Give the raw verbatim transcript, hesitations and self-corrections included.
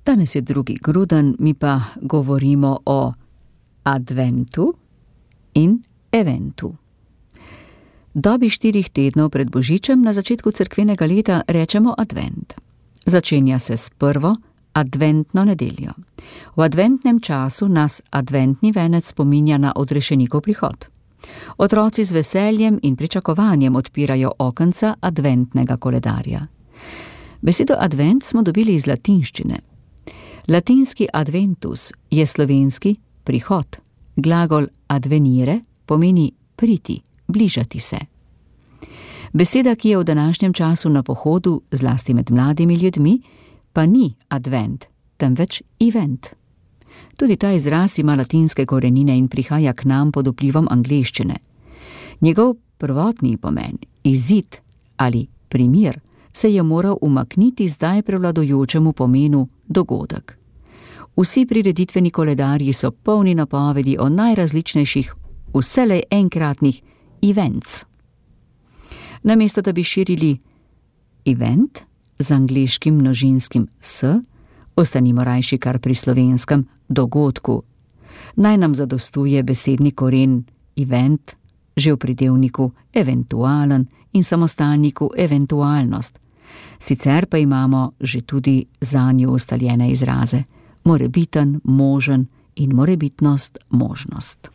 Danes je drugi gruden, mi pa govorimo o adventu in eventu. Dobi štirih tednov pred božičem na začetku cerkvenega leta rečemo advent. Začenja se s prvo adventno nedeljo. V adventnem času nas adventni venec spominja na odrešenikov prihod. Otroci z veseljem in pričakovanjem odpirajo okenca adventnega koledarja. Besedo advent smo dobili iz latinščine. Latinski adventus je slovenski prihod. Glagol advenire pomeni priti, bližati se. Beseda, ki je v današnjem času na pohodu, zlasti med mladimi ljudmi, pa ni advent, temveč event. Tudi ta izraz ima latinske korenine in prihaja k nam pod vplivom angleščine. Njegov prvotni pomen, izid ali primir, se je moral umakniti zdaj prevladujočemu pomenu dogodek. Vsi prireditveni koledarji so polni napovedi o najrazličnejših, vselej enkratnih events. Namesto da bi širili event z angleškim množinskim s, ostanimo rajši kar pri slovenskem dogodku. Naj nam zadostuje besedni koren event, že v pridevniku eventualen in samostalniku eventualnost. Sicer pa imamo že tudi zanjo ustaljene izraze morebiten, možen in morebitnost, možnost.